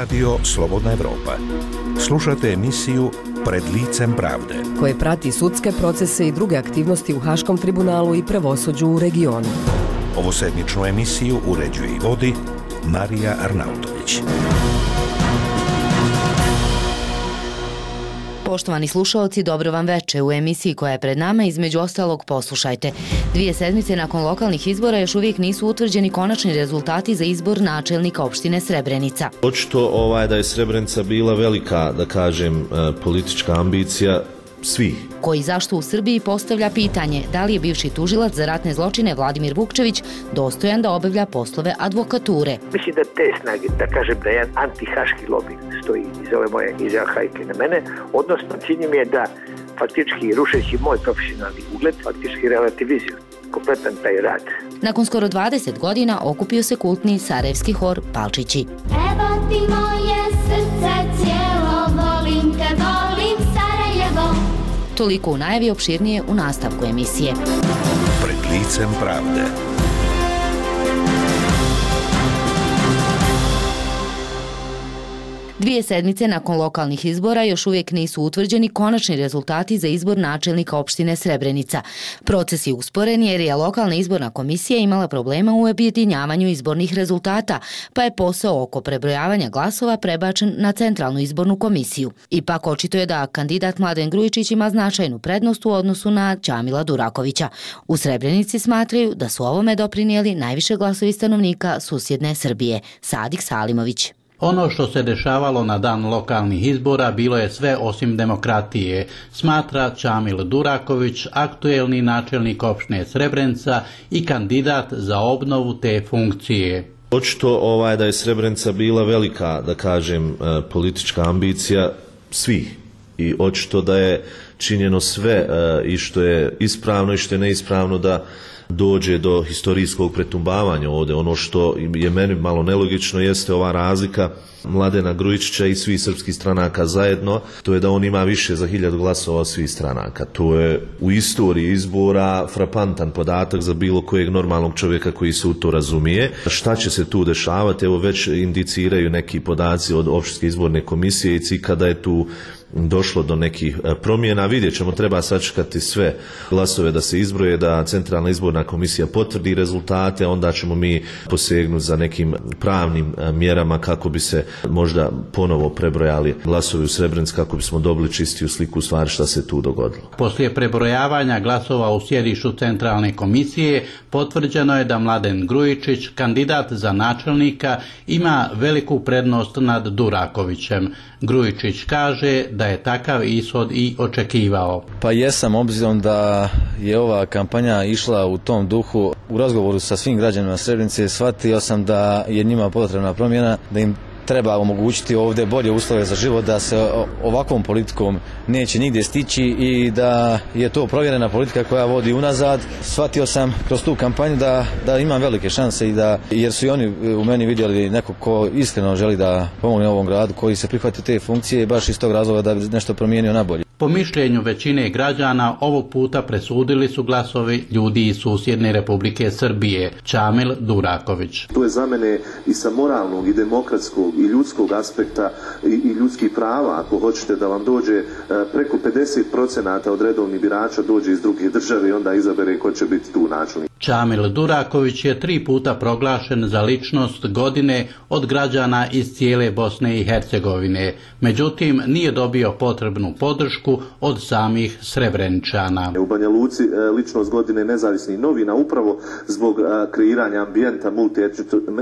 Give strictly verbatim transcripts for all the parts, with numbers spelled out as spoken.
Radio Slobodna Evropa. Slušate emisiju Pred licem pravde, koje prati sudske procese i druge aktivnosti u Haškom tribunalu i pravosuđu u regionu. Ovosedmičnu emisiju uređuje i vodi Marija Arnautović. Poštovani slušaoci, dobro vam veče. U emisiji koja je pred nama, između ostalog, poslušajte. Dvije sedmice nakon lokalnih izbora još uvijek nisu utvrđeni konačni rezultati za izbor načelnika opštine Srebrenica. Očito ovaj, da je Srebrenica bila velika, da kažem, politička ambicija svih. Koji zašto u Srbiji postavlja pitanje da li je bivši tužilac za ratne zločine Vladimir Vukčević dostojan da obavlja poslove advokature. Mislim da te snage, da kažem da jedan antihaški lobby stoji iz ove moje izjava hajke na mene, odnosno cilj mi je da faktički rušeći moj profesionalni ugled, faktički relativizuju kompletan taj rad. Nakon skoro dvadeset godina okupio se kultni sarajevski hor Palčići. Evo ti moje srce cijelo, volim te, volim Sarajevo. Toliko u najavi, opširnije u nastavku emisije. Pred licem pravde. Dvije sedmice nakon lokalnih izbora još uvijek nisu utvrđeni konačni rezultati za izbor načelnika opštine Srebrenica. Proces je usporen jer je lokalna izborna komisija imala problema u objedinjavanju izbornih rezultata, pa je posao oko prebrojavanja glasova prebačen na centralnu izbornu komisiju. Ipak očito je da kandidat Mladen Grujičić ima značajnu prednost u odnosu na Čamila Durakovića. U Srebrenici smatraju da su ovome doprinijeli najviše glasovi stanovnika susjedne Srbije. Sadik Salimović. Ono što se dešavalo na dan lokalnih izbora bilo je sve osim demokratije, smatra Čamil Duraković, aktuelni načelnik opštine Srebrenica i kandidat za obnovu te funkcije. Očito ovaj, da je Srebrenica bila velika, da kažem, politička ambicija svih. I očito da je činjeno sve i što je ispravno i što je neispravno da dođe do historijskog pretumbavanja ovdje. Ono što je meni malo nelogično jeste ova razlika Mladena Grujičića i svih srpskih stranaka zajedno, to je da on ima više za hiljadu glasova od svih stranaka. To je u istoriji izbora frapantan podatak za bilo kojeg normalnog čovjeka koji se u to razumije. Šta će se tu dešavati? Evo već indiciraju neki podaci od opštinske izborne komisije i kada je tu došlo do nekih promjena. Vidjet ćemo, treba sačekati sve glasove da se izbroje, da centralna izborna komisija potvrdi rezultate, onda ćemo mi posegnuti za nekim pravnim mjerama kako bi se možda ponovo prebrojali glasovi u Srebrenici, kako bismo dobili čistiju sliku u stvari šta se tu dogodilo. Poslije prebrojavanja glasova u sjedištu centralne komisije potvrđeno je da Mladen Grujičić, kandidat za načelnika, ima veliku prednost nad Durakovićem. Grujičić kaže da je takav ishod i očekivao. Pa jesam, obzirom da je ova kampanja išla u tom duhu. U razgovoru sa svim građanima Srebrenice shvatio sam da je njima potrebna promjena, da im treba omogućiti ovdje bolje uslove za život, da se ovakvom politikom neće nigdje stići i da je to provjerena politika koja vodi unazad. Shvatio sam kroz tu kampanju da, da imam velike šanse i da, jer su i oni u meni vidjeli neko ko iskreno želi da pomogne ovom gradu, koji se prihvati te funkcije baš iz tog razloga da bi nešto promijenio na bolje. Po mišljenju većine građana, ovog puta presudili su glasovi ljudi iz susjedne Republike Srbije. Čamil Duraković. To je za mene i sa moralnog i demokratskog i ljudskog aspekta i, i ljudskih prava, ako hoćete da vam dođe preko pedeset procenata od redovnih birača dođe iz druge države i onda izabere ko će biti tu načelnik. Čamil Duraković je tri puta proglašen za ličnost godine od građana iz cijele Bosne i Hercegovine. Međutim, nije dobio potrebnu podršku od samih Srebreničana. U Banja Luci ličnost godine nezavisnih novina upravo zbog kreiranja ambijenta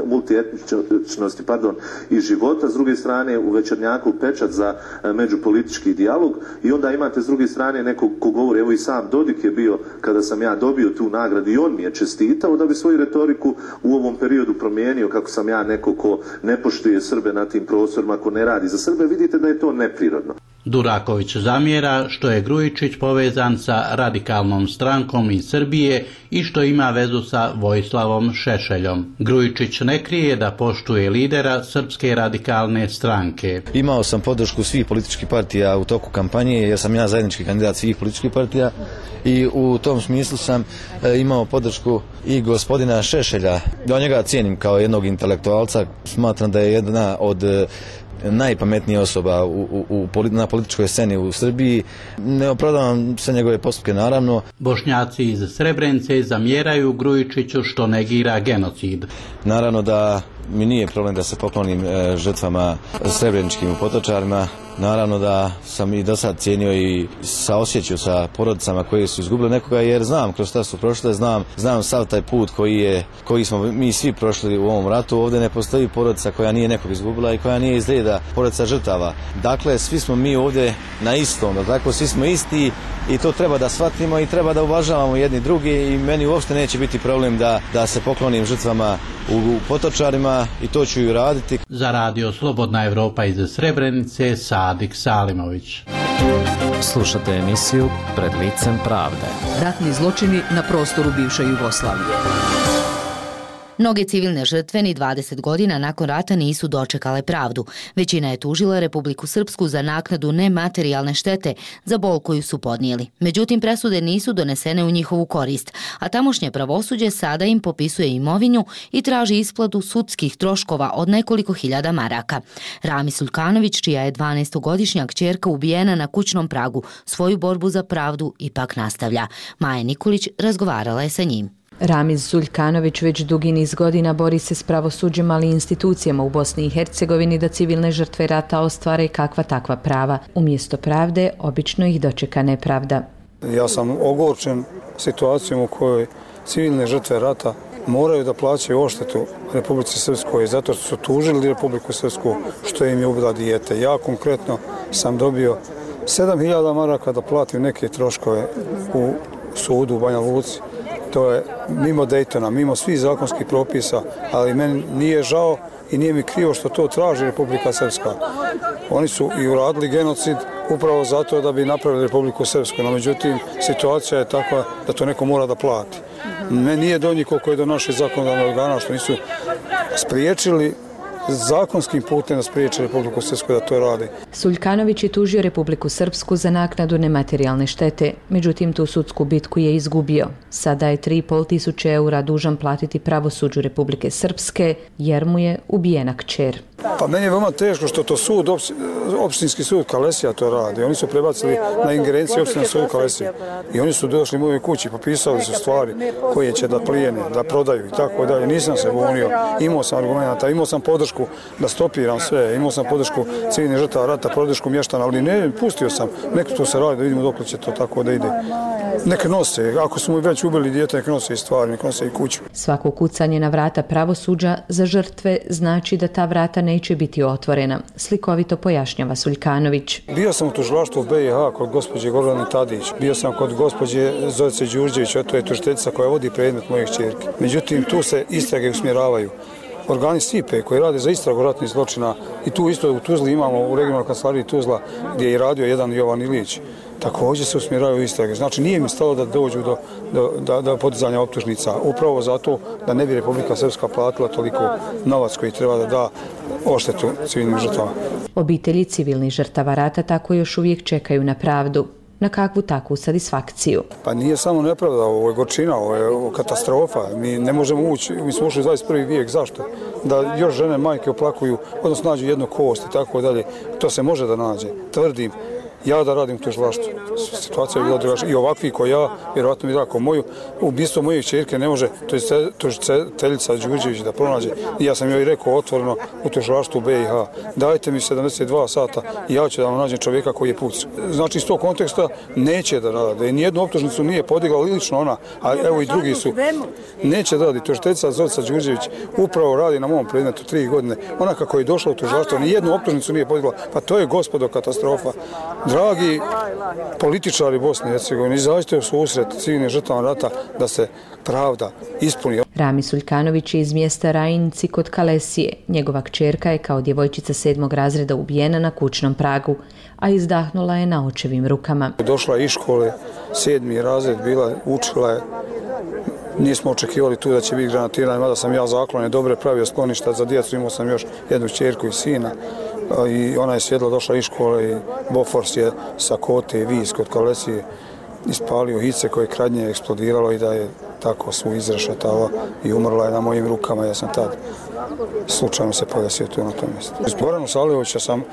multietničnosti pardon, i života. S druge strane u Večernjaku pečat za međupolitički dijalog i onda imate s druge strane nekog ko govori, evo i sam Dodik je bio kada sam ja dobio tu nagradu i on mi je čestitao da bi svoju retoriku u ovom periodu promijenio, kako sam ja neko ko ne poštuje Srbe na tim prostorima, ko ne radi za Srbe. Vidite da je to neprirodno. Duraković zamjera što je Grujičić povezan sa radikalnom strankom iz Srbije i što ima vezu sa Vojislavom Šešeljom. Grujičić ne krije da poštuje lidera Srpske radikalne stranke. Imao sam podršku svih političkih partija u toku kampanje, jer sam ja zajednički kandidat svih političkih partija i u tom smislu sam imao podršku i gospodina Šešelja. Ja njega cijenim kao jednog intelektualca, smatram da je jedna od najpametnija osoba u, u, u, na političkoj sceni u Srbiji. Ne opravdavam sve njegove postupke, naravno. Bošnjaci iz Srebrenice zamjeraju Grujičiću što negira genocid. Naravno da mi nije problem da se poklonim e, žrtvama srebreničkim u Potočarima. Naravno da sam i do sad cijenio i saosjećao sa porodicama koji su izgubili nekoga, jer znam kroz šta su prošle, znam, znam sav taj put koji, je, koji smo mi svi prošli u ovom ratu. Ovdje ne postoji porodica koja nije nekog izgubila i koja nije iz reda porodica žrtava. Dakle, svi smo mi ovdje na istom, dakle, svi smo isti i to treba da shvatimo i treba da uvažavamo jedni drugi i meni uopšte neće biti problem da, da se poklonim žrtvama u, u Potočarima i to ću i raditi. Za radio Slobodna Evropa iz Srebrenice, Sadik Salimović. Slušate emisiju Pred licem pravde. Ratni zločini na prostoru bivše Jugoslavije. Mnoge civilne žrtve ni dvadeset godina nakon rata nisu dočekale pravdu. Većina je tužila Republiku Srpsku za naknadu nematerijalne štete za bol koju su podnijeli. Međutim, presude nisu donesene u njihovu korist, a tamošnje pravosuđe sada im popisuje imovinu i traži isplatu sudskih troškova od nekoliko hiljada maraka. Rami Suljkanović, čija je dvanaestogodišnja kćerka ubijena na kućnom pragu, svoju borbu za pravdu ipak nastavlja. Maja Nikolić razgovarala je sa njim. Ramiz Suljkanović već dugi niz godina bori se s pravosuđem, ali i institucijama u Bosni i Hercegovini da civilne žrtve rata ostvare kakva takva prava. Umjesto pravde, obično ih dočeka nepravda. Ja sam ogorčen situacijom u kojoj civilne žrtve rata moraju da plaćaju odštetu Republici Srpskoj zato što su tužili Republiku Srpsku što im je ubila dijete. Ja konkretno sam dobio sedam hiljada maraka da platim neke troškove u sudu u Banja Luci. To je mimo Dejtona, mimo svih zakonskih propisa, ali meni nije žao i nije mi krivo što to traži Republika Srpska. Oni su i uradili genocid upravo zato da bi napravili Republiku Srpsku, no međutim situacija je takva da to neko mora da plati. Meni nije do njih koliko je do naših zakonodavnih organa što nisu spriječili zakonskim putem da spriječe Republiku Srpsku da to radi. Suljkanović je tužio Republiku Srpsku za naknadu nematerijalne štete, međutim tu sudsku bitku je izgubio. Sada je tri i pol tisuće eura dužan platiti pravosuđu Republike Srpske jer mu je ubijena kćer. Pa meni je veoma teško što to sud, opštinski sud Kalesija to radi. Oni su prebacili na ingerenciju opštinskog suda Kalesija. I oni su došli u moje kući, popisali su stvari koje će da plijene, da prodaju i tako dalje. Nisam se bunio, imao sam argumenta, imao sam podršku da stopiram sve, imao sam podršku civilnih žrtava rata, podršku mještana, ali ne, pustio sam. Neka to se radi, da vidimo dok će to tako da ide. Neka nose, ako su mu već ubili dijete, neka nose i stvari, neka nose i kuću. Svako kucanje na vrata pravosuđa za žrtve znači da ta vrata neće biti otvorena, slikovito pojašnjava Suljkanović. Bio sam u tužilaštvu B i H kod gospođe Gordane Tadić, bio sam kod gospođe Zorice Đurđević, a to je tužiteljica koja vodi predmet moje kćerke. Međutim, tu se istrage usmjeravaju. Organi S I P E koji rade za istragu ratnih zločina i tu isto u Tuzli imamo u regionalnoj kancelariji Tuzla gdje je radio jedan Jovan Ilić. Također se usmjeravaju istrage. Znači nije mi stalo da dođu do, do, do, do podizanja optužnica. Upravo zato da ne bi Republika Srpska platila toliko novac koji treba da da odštetu civilnim žrtvama. Obitelji civilnih žrtava rata tako još uvijek čekaju na pravdu. Na kakvu takvu satisfakciju? Pa nije samo nepravda, ovo je gorčina, ovo je katastrofa. Mi ne možemo ući, mi smo ušli u dvadeset prvi vijek, zašto? Da još žene, majke oplakuju, odnosno nađu jednu kost i tako dalje. To se može da nađe, tvrdim. Ja da radim u tužilaštvu. Situacija je bila drugačija. I ovakvi ko ja, vjerovatno mi tako moju, ubistvo moje kćerke ne može tužiteljica Đurđević da pronađe. I ja sam joj rekao otvoreno u tužilaštvu B i H. Dajte mi sedamdeset dva sata i ja ću da vam nađem čovjeka koji je pucao. Znači iz tog konteksta neće da rade. Nijednu optužnicu nije podigla lično ona, a evo i drugi su. Neće da radi. Tužiteljica Zorica Đurđević upravo radi na mom predmetu tri godine. Ona kako je došla u tužilaštvo, nijednu optužnicu nije podigla. Pa to je, gospodo, katastrofa. Dragi političari Bosne i Hercegovine, izađite u susret civilnim žrtvama rata da se pravda ispuni. Rami Suljkanović je iz mjesta Rajinci kod Kalesije. Njegova kćerka je kao djevojčica sedmog razreda ubijena na kućnom pragu, a izdahnula je na očevim rukama. Došla je iz škole, sedmi razred, bila, učila je. Nismo očekivali tu da će biti granatiranje, mada sam ja zaklone dobre pravio skloništa za djecu, imao sam još jednu kćerku i sina. I ona je sjedla, došla iz škole i Bofors je sa Kote i Vis kod Kalesije ispalio hice koje kradnje je eksplodiralo i da je tako svu izrešetala i umrla je na mojim rukama. Ja sam tad slučajno se podesio tu na tom mjestu. Iz Goranu Salihovića sam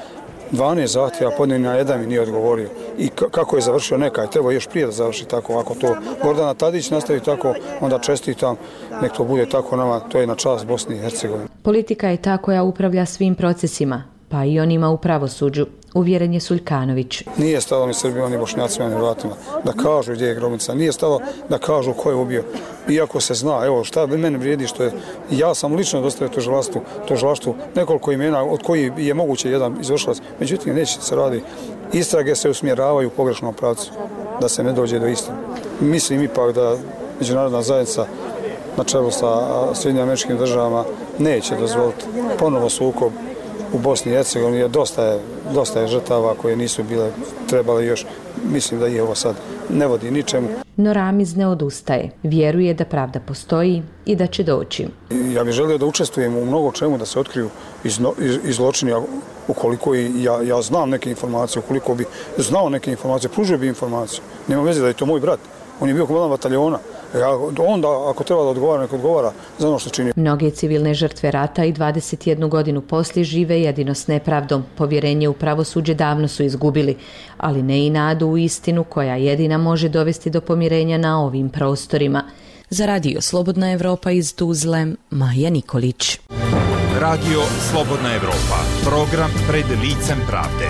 dvanaest zahtjeva podnio, na jedan mi nije odgovorio. I kako je završio nekaj, treba još prije da završi tako. Ako to Gordana Tadić nastavi tako, onda čestitam, nek to bude tako nama, to je na čast Bosni i Hercegovine. Politika je ta koja upravlja svim procesima, pa i onima u pravosuđu, uvjeren je Suljkanović. Nije stalo ni Srbima, ni Bošnjacima, ni Hrvatima da kažu gdje je grobnica. Nije stalo da kažu ko je ubio. Iako se zna, evo šta mene vrijedi što je, ja sam lično dostavio tužilaštvu, tužilaštvu nekoliko imena od kojih je moguće jedan izvršilac. Međutim, neće se radi. Istrage se usmjeravaju u pogrešnom pravcu, da se ne dođe do istine. Mislim ipak da međunarodna zajednica na čelu sa Sjedinjenim Američkim Državama neće dozvoliti ponovo sukob u Bosni i Hercegovini, jer dosta je, dosta je žrtava koje nisu bile trebale još. Mislim da ih ovo sad ne vodi ničemu. No Ramiz ne odustaje. Vjeruje da pravda postoji i da će doći. Ja bih želio da učestvujem u mnogo čemu, da se otkriju i zločini, ukoliko i ja, ja znam neke informacije, ukoliko bi znao neke informacije, pružio bi informaciju. Nema veze da je to moj brat. On je bio komandan bataljona. Ja, onda, ako treba da odgovara, nek odgovara za ono što čini. Mnoge civilne žrtve rata i dvadeset jednu godinu poslije žive jedino s nepravdom. Povjerenje u pravosuđe davno su izgubili, ali ne i nadu u istinu koja jedina može dovesti do pomirenja na ovim prostorima. Za Radio Slobodna Evropa iz Tuzle, Maja Nikolić. Radio Slobodna Evropa, program pred licem pravde.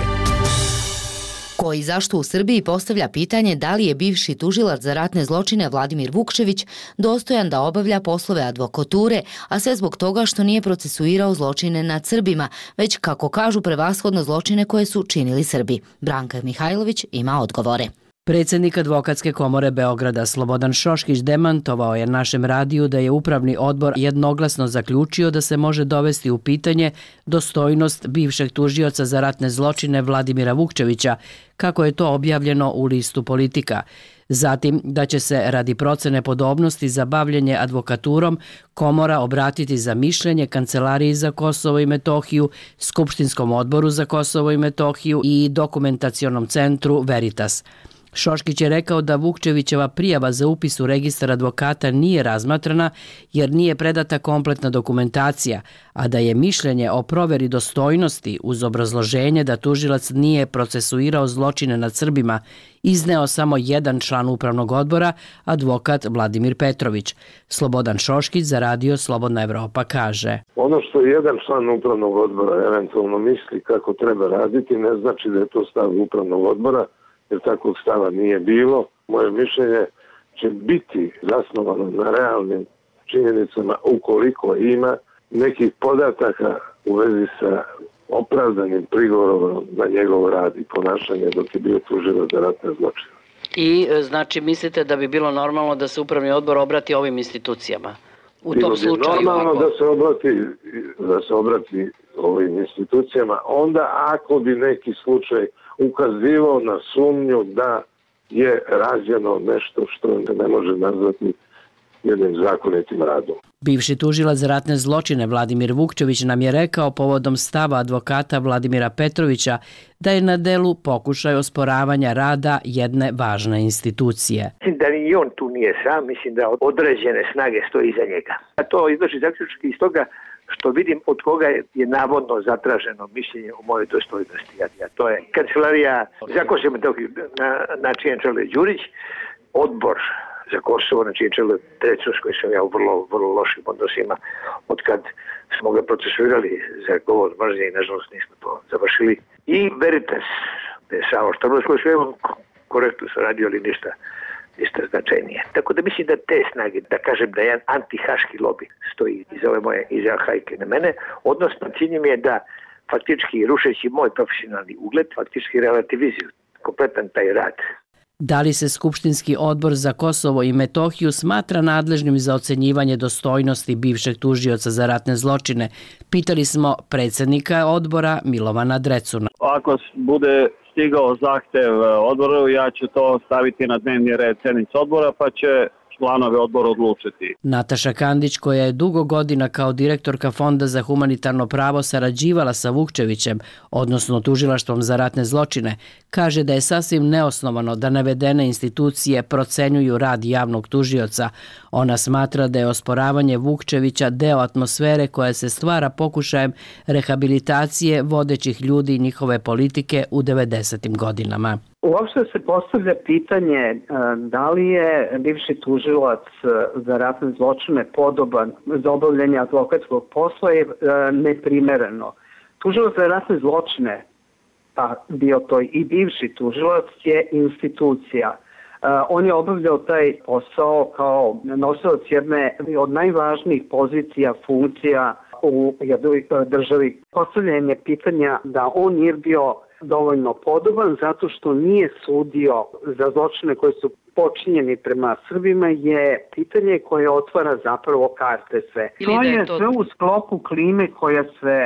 Ko i zašto u Srbiji postavlja pitanje da li je bivši tužilac za ratne zločine Vladimir Vukčević dostojan da obavlja poslove advokature, a sve zbog toga što nije procesuirao zločine nad Srbima, već, kako kažu, prevashodno zločine koje su činili Srbi. Branka Mihajlović ima odgovore. Predsjednik Advokatske komore Beograda Slobodan Šoškić demantovao je našem radiju da je upravni odbor jednoglasno zaključio da se može dovesti u pitanje dostojnost bivšeg tužioca za ratne zločine Vladimira Vukčevića, kako je to objavljeno u listu Politika. Zatim da će se radi procene podobnosti za bavljenje advokaturom komora obratiti za mišljenje Kancelariji za Kosovo i Metohiju, Skupštinskom odboru za Kosovo i Metohiju i Dokumentacionom centru Veritas. Šoškić je rekao da Vukčevićeva prijava za upis u registar advokata nije razmatrana jer nije predata kompletna dokumentacija, a da je mišljenje o proveri dostojnosti uz obrazloženje da tužilac nije procesuirao zločine nad Srbima izneo samo jedan član upravnog odbora, advokat Vladimir Petrović. Slobodan Šoškić za Radio Slobodna Evropa kaže: Ono što jedan član upravnog odbora eventualno misli kako treba raditi ne znači da je to stav upravnog odbora, jer takvog stava nije bilo. Moje mišljenje će biti zasnovano na realnim činjenicama ukoliko ima nekih podataka u vezi sa opravdanim prigovorom na njegov rad i ponašanje dok je bio tužilac za ratne zločine. I znači mislite da bi bilo normalno da se upravni odbor obrati ovim institucijama? U bilo tom slučaju normalno ako... da se obrati da se obrati ovim institucijama, onda ako bi neki slučaj ukazivao na sumnju da je rađeno nešto što ne može nazvati jednim zakonitim radom. Bivši tužilac za ratne zločine Vladimir Vukčević nam je rekao povodom stava advokata Vladimira Petrovića da je na delu pokušaj osporavanja rada jedne važne institucije. Mislim da ni on tu nije sam, mislim da određene snage stoji iza njega. A to izlači zaključki iz toga što vidim od koga je navodno zatraženo mišljenje o mojoj dostojnosti. A to je Kancelarija za Kosovo i Metohiju, na, na čijem čelu je Đurić, odbor za Kosovo, na čijem čelu je Trecun, s kojim sam ja u vrlo, vrlo lošim odnosima od kad smo ga procesuirali za govor mržnje i nažalost nismo to završili. I Veritas, samo što s kojim sam korektno saradio, ali ništa ništa značajnije. Tako da mislim da te snage, da kažem da jedan antihaški lobi stoji iz ove moje izjave hajke na mene, odnosno cilj mi je da faktički rušeći moj profesionalni ugled, faktički relativizuju kompletan taj rad. Da li se Skupštinski odbor za Kosovo i Metohiju smatra nadležnim za ocenjivanje dostojnosti bivšeg tužioca za ratne zločine? Pitali smo predsjednika odbora Milovana Drecuna. Ako bude stigao zahtev odboru, ja ću to staviti na dnevni red sjednice odbora, pa će članovi odbora odlučiti. Nataša Kandić, koja je dugo godina kao direktorka Fonda za humanitarno pravo sarađivala sa Vukčevićem, odnosno Tužilaštvom za ratne zločine, kaže da je sasvim neosnovano da navedene institucije procenjuju rad javnog tužioca. Ona smatra da je osporavanje Vukčevića deo atmosfere koja se stvara pokušajem rehabilitacije vodećih ljudi i njihove politike u devedesetim godinama. Uopšte se postavlja pitanje da li je bivši tužilac za ratne zločine podoban za obavljanje advokatskog posla je neprimereno. Tužilac za ratne zločine, pa bio to i bivši tužilac, je institucija. On je obavljao taj posao kao nosilac jedne od najvažnijih pozicija, funkcija u jednoj državi. Postavljanje pitanja da on nije bio dovoljno podoban zato što nije sudio za zločine koji su počinjeni prema Srbima je pitanje koje otvara zapravo karte sve. To je sve u sklopu klime koja se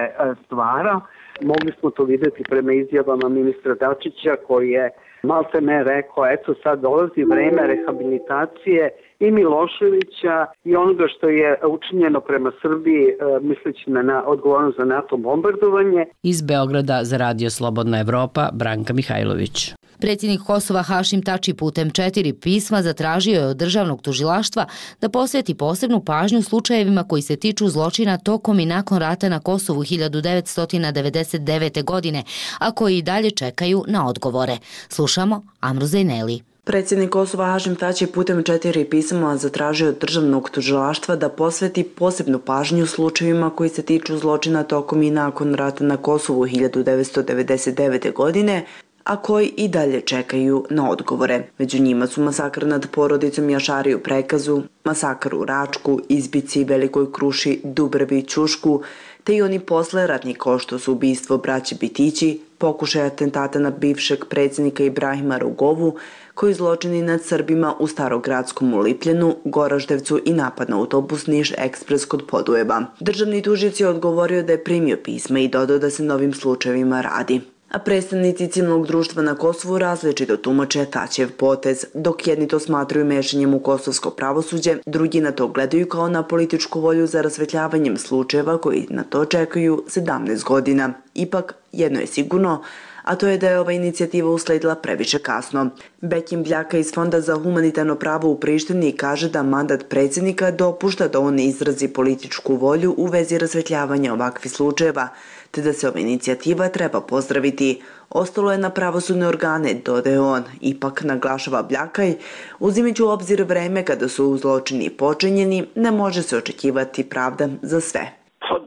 stvara. Mogli smo to vidjeti prema izjavama ministra Dačića koji je malte ne rekao, eto sad dolazi vreme rehabilitacije i Miloševića i onoga što je učinjeno prema Srbiji, misleći na odgovornost za NATO bombardovanje. Iz Beograda za Radio Slobodna Evropa, Branka Mihajlović. Predsjednik Kosova Hašim Tači putem četiri pisma zatražio je od državnog tužilaštva da posveti posebnu pažnju slučajevima koji se tiču zločina tokom i nakon rata na Kosovu hiljadu devetsto devedeset devete. godine, a koji i dalje čekaju na odgovore. Slušamo Amru Zejneli. Predsjednik Kosova Hašim Tači putem četiri pisama zatražio od državnog tužilaštva da posveti posebnu pažnju slučajevima koji se tiču zločina tokom i nakon rata na Kosovu hiljadu devetsto devedeset devete. godine, a koji i dalje čekaju na odgovore. Među njima su masakr nad porodicom Jašari u Prekazu, masakr u Račku, Izbici, Velikoj Kruši, Dubravi i Ćušku, te i oni posle ratni kao što su ubistvo braće Bitići, pokušaj atentata na bivšeg predsjednika Ibrahima Rugovu, koji zločini nad Srbima u Starogradskom u Lipljenu, Goraždevcu i napad na autobus Niš Ekspres kod Podujeva. Državni tužilac je odgovorio da je primio pisma i dodao da se novim slučajevima radi. A predstavnici civilnog društva na Kosovu različito tumače Tačijev potez, dok jedni to smatraju mešanjem u kosovsko pravosuđe, drugi na to gledaju kao na političku volju za rasvetljavanjem slučajeva koji na to čekaju sedamnaest godina. Ipak, jedno je sigurno, a to je da je ova inicijativa usledila previše kasno. Bekim Bljaka iz Fonda za humanitarno pravo u Prištini kaže da mandat predsjednika dopušta da on izrazi političku volju u vezi rasvetljavanja ovakvih slučajeva, te da se ova inicijativa treba pozdraviti. Ostalo je na pravosudne organe, dodaje on. Ipak, naglašava Bljakaj, uzimajući u obzir vreme kada su zločini počinjeni, ne može se očekivati pravda za sve.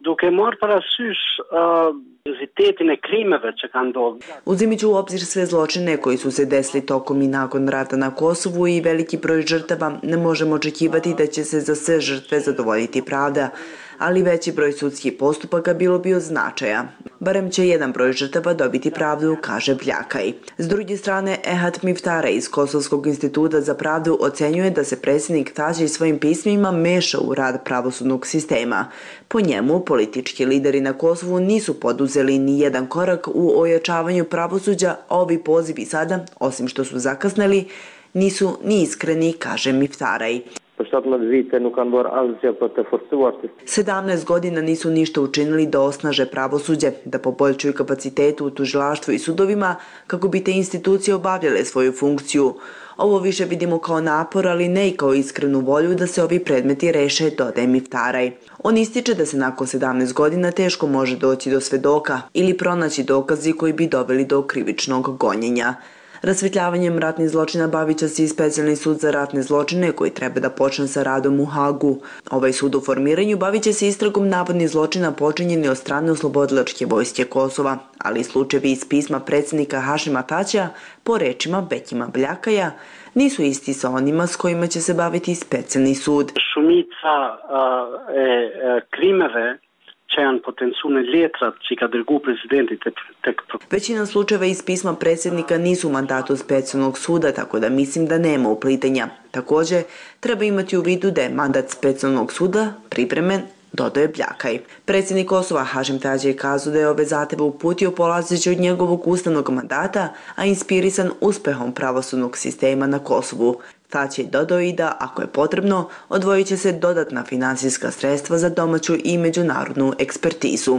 Duke mor parasysh seriozitetin e krimeve që kanë ndodhur. Uzimajući u obzir sve zločine koji su se desili tokom i nakon rata na Kosovu i veliki broj žrtava, ne možemo očekivati da će se za sve žrtve zadovoljiti pravda, ali veći broj sudskih postupaka bilo bi od značaja. Barem će jedan broj žrtava dobiti pravdu, kaže Bljakaj. S druge strane, Ehat Miftara iz Kosovskog instituta za pravdu ocenjuje da se predsjednik Tači svojim pismima meša u rad pravosudnog sistema. Po njemu, politički lideri na Kosovu nisu poduzeli ni jedan korak u ojačavanju pravosuđa, a ovi pozivi sada, osim što su zakasneli, nisu ni iskreni, kaže Miftaraj. sedamnaest godina nisu ništa učinili da osnaže pravosuđe, da poboljšaju kapacitetu u tužilaštvu i sudovima kako bi te institucije obavljale svoju funkciju. Ovo više vidimo kao napor, ali ne i kao iskrenu volju da se ovi predmeti reše, dodaje Miftaraj. On ističe da se nakon sedamnaest godina teško može doći do svedoka ili pronaći dokazi koji bi doveli do krivičnog gonjenja. Rasvetljavanjem ratnih zločina bavit će se i specijalni sud za ratne zločine koji treba da počne sa radom u Hagu. Ovaj sud u formiranju bavit će se istragom navodnih zločina počinjeni od strane oslobodilačke vojske Kosova, ali i slučajevi iz pisma predsjednika Hašima Tačija, po rečima Bekima Bljakaja, nisu isti sa onima s kojima će se baviti specijalni sud. Shumica e krimeve që janë potencione letrat që ka dërguar presidenti tek. Većina slučajeva iz pisma predsjednika nisu u mandatu specijalnog suda, tako da mislim da nema uplitanja. Također, treba imati u vidu da je mandat specijalnog suda pripremen, dodaje Bljakaj. Predsjednik Kosova Hašim Tači je kazao da je ove zahtjeve uputio polazeći od njegovog ustavnog mandata, a inspirisan uspehom pravosudnog sistema na Kosovu. Tać je dodao i da, ako je potrebno, odvojit će se dodatna finansijska sredstva za domaću i međunarodnu ekspertizu.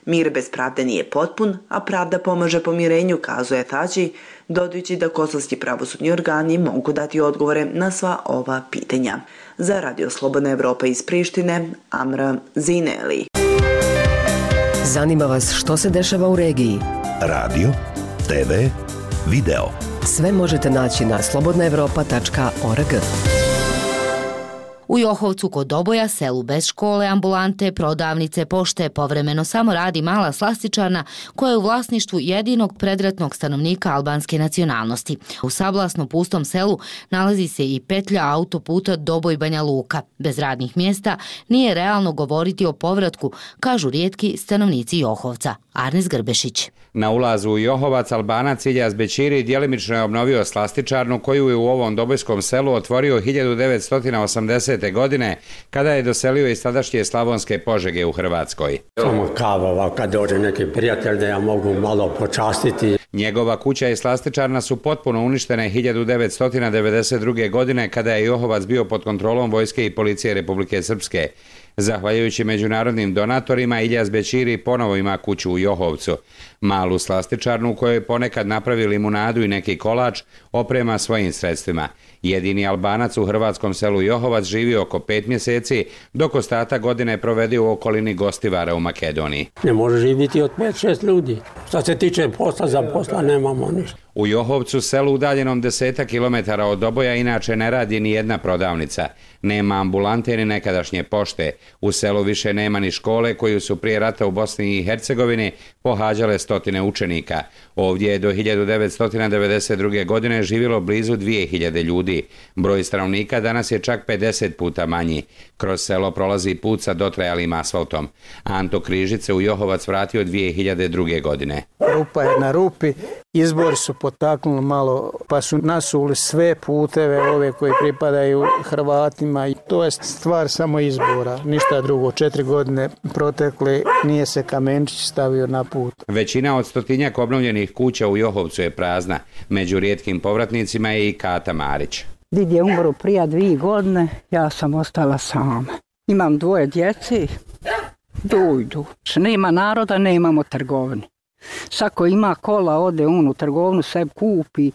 Mir bez pravde nije potpun, a pravda pomaže pomirenju, kazuje Tači, dodajući da kosovski pravosudni organi mogu dati odgovore na sva ova pitanja. Za Radio Slobodna Evropa iz Prištine, Amra Zineli. Zanima vas što se dešava u regiji? Radio, te ve, video. Sve možete naći na slobodna evropa tačka org. U Johovcu kod Doboja, selu bez škole, ambulante, prodavnice, pošte, povremeno samo radi mala slastičarna koja je u vlasništvu jedinog predratnog stanovnika albanske nacionalnosti. U sablasno pustom selu nalazi se i petlja autoputa Doboj-Banja Luka. Bez radnih mjesta nije realno govoriti o povratku, kažu rijetki stanovnici Johovca. Arnes Grbešić. Na ulazu u Johovac Albanac Iljaz Bećiri djelimično je obnovio slastičarnu koju je u ovom dobojskom selu otvorio hiljadu devetsto osamdesete. godine kada je doselio iz tadašnje Slavonske Požege u Hrvatskoj. Samo kava, kad dođe neki prijatelj da ja mogu malo počastiti. Njegova kuća i slastičarna su potpuno uništene hiljadu devetsto devedeset druge. godine kada je Johovac bio pod kontrolom vojske i policije Republike Srpske. Zahvaljujući međunarodnim donatorima, Iljaz Bećiri ponovo ima kuću u Johovcu. Malu slastičarnu u kojoj ponekad napravi limunadu i neki kolač oprema svojim sredstvima. Jedini Albanac u hrvatskom selu Johovac živi oko pet mjeseci, dok ostatak godine provede u okolini Gostivara u Makedoniji. Ne može živjeti od pet šest ljudi. Što se tiče posla, za posla nemamo ništa. U Johovcu, selu udaljenom deseta kilometara od Doboja, inače ne radi ni jedna prodavnica. Nema ambulante ni nekadašnje pošte. U selu više nema ni škole koju su prije rata u Bosni i Hercegovini pohađale stotine učenika. Ovdje je do hiljadu devetsto devedeset druge. godine živjelo blizu dvije hiljade ljudi. Broj stanovnika danas je čak pedeset puta manji. Kroz selo prolazi put sa dotrajalim asfaltom. Anto Križić se u Johovac vratio dvije hiljade druge. godine. Rupa je na rupi. Izbori su potaknuli malo, pa su nasuli sve puteve ove koji pripadaju Hrvatima i to je stvar samo izbora, ništa drugo. Četiri godine protekle, nije se kamenčić stavio na put. Većina od stotinjak obnovljenih kuća u Johovcu je prazna. Među rijetkim povratnicima je i Kata Marić. Did je umro prije dvije godine, ja sam ostala sama. Imam dvoje djeci, dojdu. Nema naroda, nemamo trgovine. Sako ima kola, ode on u trgovinu, sve kupi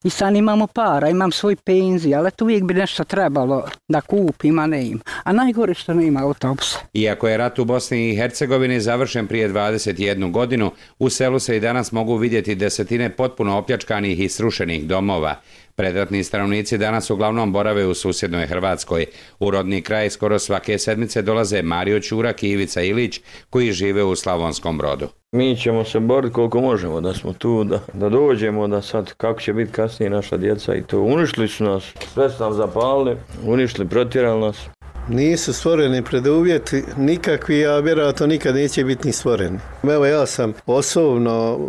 i sad imamo para, imam svoj penzij, ali to uvijek bi nešto trebalo da kupim, a ne ima. A najgore što nema autobusa. Iako je rat u Bosni i Hercegovini završen prije dvadeset jednu. godinu, u selu se i danas mogu vidjeti desetine potpuno opljačkanih i srušenih domova. Predratni stanovnici danas uglavnom borave u susjednoj Hrvatskoj. U rodni kraj skoro svake sedmice dolaze Mario Ćurak i Ivica Ilić koji žive u Slavonskom Brodu. Mi ćemo se boriti koliko možemo da smo tu, da, da dođemo, da sad kako će biti kasnije naša djeca i to. Uništili su nas, sve su nam zapalili, uništili, protjerali nas. Nisu stvoreni preduvjeti nikakvi, a vjerojatno nikad neće biti ni stvoreni. Evo ja sam osobno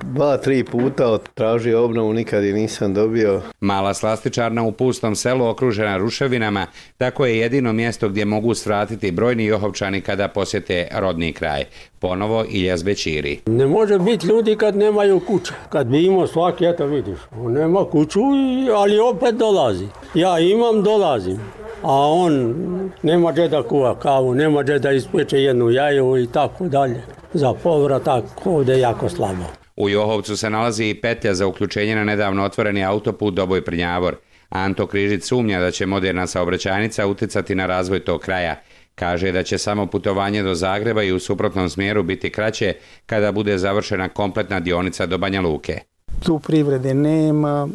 dva, tri puta tražio obnovu, nikad je nisam dobio. Mala slastičarna u pustom selu okružena ruševinama, tako je jedino mjesto gdje mogu svratiti brojni Johovčani kada posjete rodni kraj. Ponovo Iljaz Bećiri. Ne može biti ljudi kad nemaju kuće. Kad bi imao svaki, eto vidiš, on nema kuću, ali opet dolazi. Ja imam, dolazim. A on nema gdje da kuva kavu, nema gdje da ispeče jednu jaju i tako dalje. Za povratak ovdje je jako slabo. U Johovcu se nalazi i petlja za uključenje na nedavno otvoreni autoput Doboj-Prnjavor. Anto Križić sumnja da će moderna saobraćajnica utjecati na razvoj tog kraja. Kaže da će samo putovanje do Zagreba i u suprotnom smjeru biti kraće kada bude završena kompletna dionica do Banja Luke. Tu privrede nema,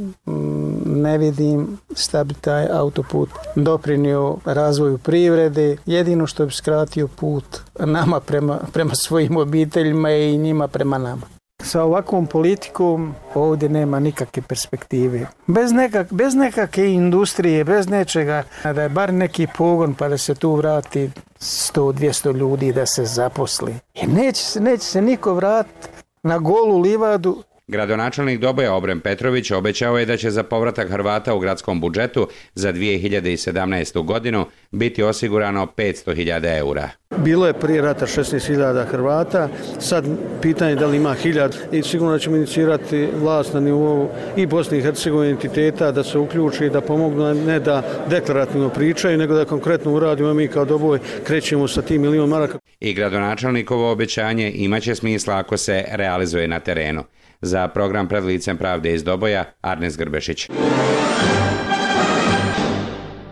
ne vidim šta bi taj autoput doprinio razvoju privrede. Jedino što bi skratio put nama prema, prema svojim obiteljima i njima prema nama. Sa ovakvom politikom ovdje nema nikakve perspektive. Bez, nekak, bez nekakve industrije, bez nečega, da je bar neki pogon pa da se tu vrati sto do dvjesto ljudi da se zaposli. I neće se, neće se niko vratiti na golu livadu. Gradonačelnik Doboja Obren Petrović obećao je da će za povratak Hrvata u gradskom budžetu za dvije hiljade sedamnaestu. godinu biti osigurano petsto hiljada eura. Bilo je prije rata šesnaest hiljada Hrvata, sad pitanje da li ima hiljad i sigurno ćemo inicirati vlast na nivou i Bosne i Hercegovine entiteta da se uključi i da pomognu, ne da deklarativno pričaju, nego da konkretno uradimo. Mi kao Doboj krećemo sa tim milion maraka. I gradonačelnikovo obećanje imaće smisla ako se realizuje na terenu. Za program Pred licem pravde iz Doboja, Arnes Grbešić.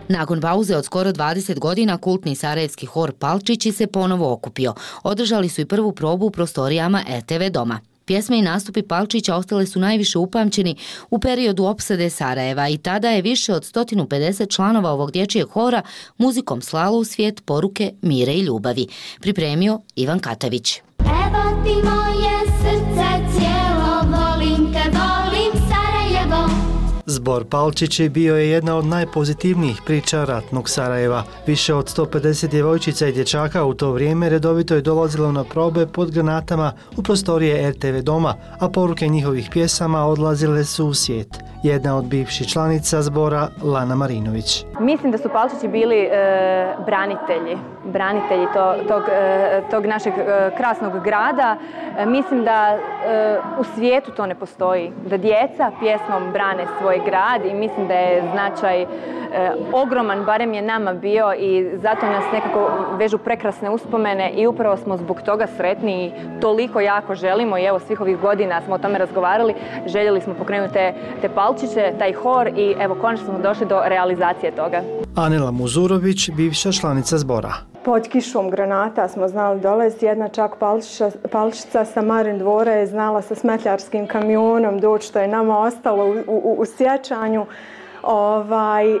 Nakon pauze od skoro dvadeset godina, kultni sarajevski hor Palčići se ponovo okupio. Održali su i prvu probu u prostorijama R T V doma. Pjesme i nastupi Palčića ostale su najviše upamćeni u periodu opsade Sarajeva i tada je više od sto pedeset članova ovog dječjeg hora muzikom slalo u svijet poruke mira i ljubavi. Pripremio Ivan Katavić. Evo ti moje srce cijelo, volim te, volim Sarajevo. Zbor Palčići bio je jedna od najpozitivnijih priča ratnog Sarajeva. Više od sto pedeset djevojčica i dječaka u to vrijeme redovito je dolazilo na probe pod granatama u prostorije R T V doma, a poruke njihovih pjesama odlazile su u svijet. Jedna od bivših članica zbora, Lana Marinović. Mislim da su Palčići bili e, branitelji, branitelji to, tog, e, tog našeg e, krasnog grada. E, mislim da e, u svijetu to ne postoji, da djeca pjesmom brane svoj grad i mislim da je značaj e, ogroman, barem je nama bio i zato nas nekako vežu prekrasne uspomene i upravo smo zbog toga sretni i toliko jako želimo i evo svih ovih godina smo o tome razgovarali, željeli smo pokrenuti te, te Palčiće, taj hor i evo konačno smo došli do realizacije toga. Anela Muzurović, bivša članica zbora. Pod kišom granata smo znali dolaziti, jedna čak palčića, palčica sa Marin dvora je znala sa smetljarskim kamionom doći, što je nama ostalo u, u, u sjećanju. Ovaj, uh,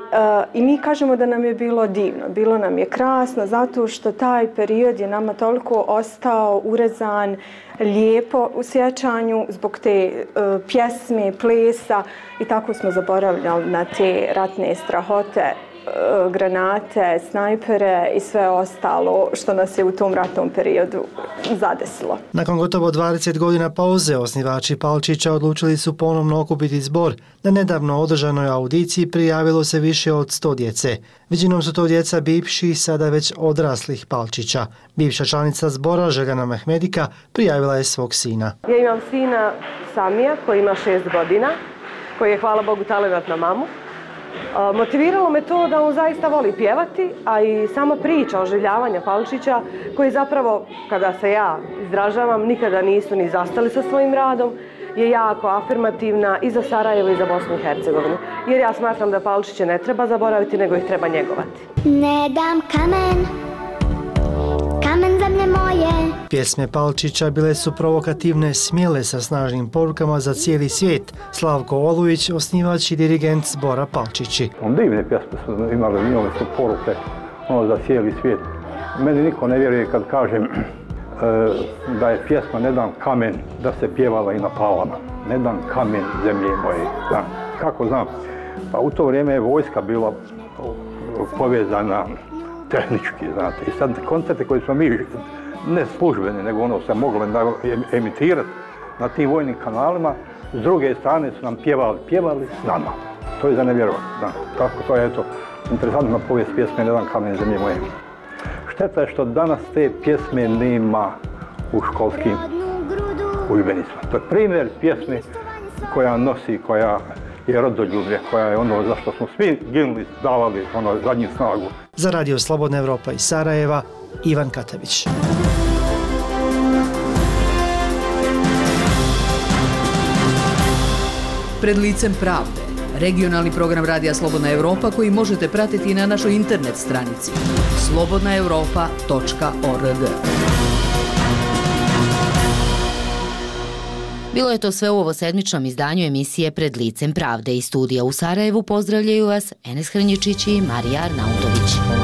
I mi kažemo da nam je bilo divno, bilo nam je krasno zato što taj period je nama toliko ostao urezan, lijepo u sjećanju zbog te uh, pjesme, plesa i tako smo zaboravljali na te ratne strahote, uh, granate, snajpere i sve ostalo što nas je u tom ratnom periodu zadesilo. Nakon gotovo dvadeset godina pauze, osnivači Palčića odlučili su ponovno okupiti zbor. Na nedavno održanoj audiciji prijavilo se više od sto djece. Većinom su to djeca bivših, sada već odraslih Palčića. Bivša članica zbora, Željana Mehmedika, prijavila je svog sina. Ja imam sina Samija koji ima šest godina, koji je, hvala Bogu, talent na mamu. Motiviralo me to da on zaista voli pjevati, a i sama priča oživljavanja Palčića, koji zapravo, kada se ja izražavam, nikada nisu ni zastali sa svojim radom, je jako afirmativna i za Sarajevo i za Bosnu i Hercegovinu. Jer ja smatram da Palčiće ne treba zaboraviti, nego ih treba njegovati. Ne dam kamen, kamen zemlje moje. Pjesme Palčića bile su provokativne, smjele sa snažnim porukama za cijeli svijet. Slavko Olujić, osnivač i dirigent zbora Palčići. Divne pjesme su imale, imale su poruke ono, za cijeli svijet. Meni niko ne vjeruje kad kažem da je pjesma Ne dam kamen da se pjevala i na Palama. Ne dam kamen zemlje moje. Da. Kako znam? Pa u to vrijeme je vojska bila povezana tehnički, znate. I sad koncerte koje smo mi, ne službeni, nego ono se moglo emitirati na tim vojnim kanalima, s druge strane su nam pjevali, pjevali s nama. To je za nevjerovati. Da. Tako to je, eto, interesantna povijest pjesme Ne dam kamen zemlje moje. Šteta je što danas te pjesme nema u školskim udžbenicima. To je primjer pjesme koja nosi, koja je rodoljublje, koja je ono za što smo svi ginuli, davali ono zadnju snagu. Za Radio Slobodna Evropa iz Sarajeva, Ivan Katavić. Pred licem pravde. Regionalni program Radija Slobodna Evropa koji možete pratiti na našoj internet stranici slobodna europa tačka org. Bilo je to sve u ovosedmičnom izdanju emisije Pred licem pravde. Iz studija u Sarajevu pozdravljaju vas Enes Hrnječić i Marija Arnautović.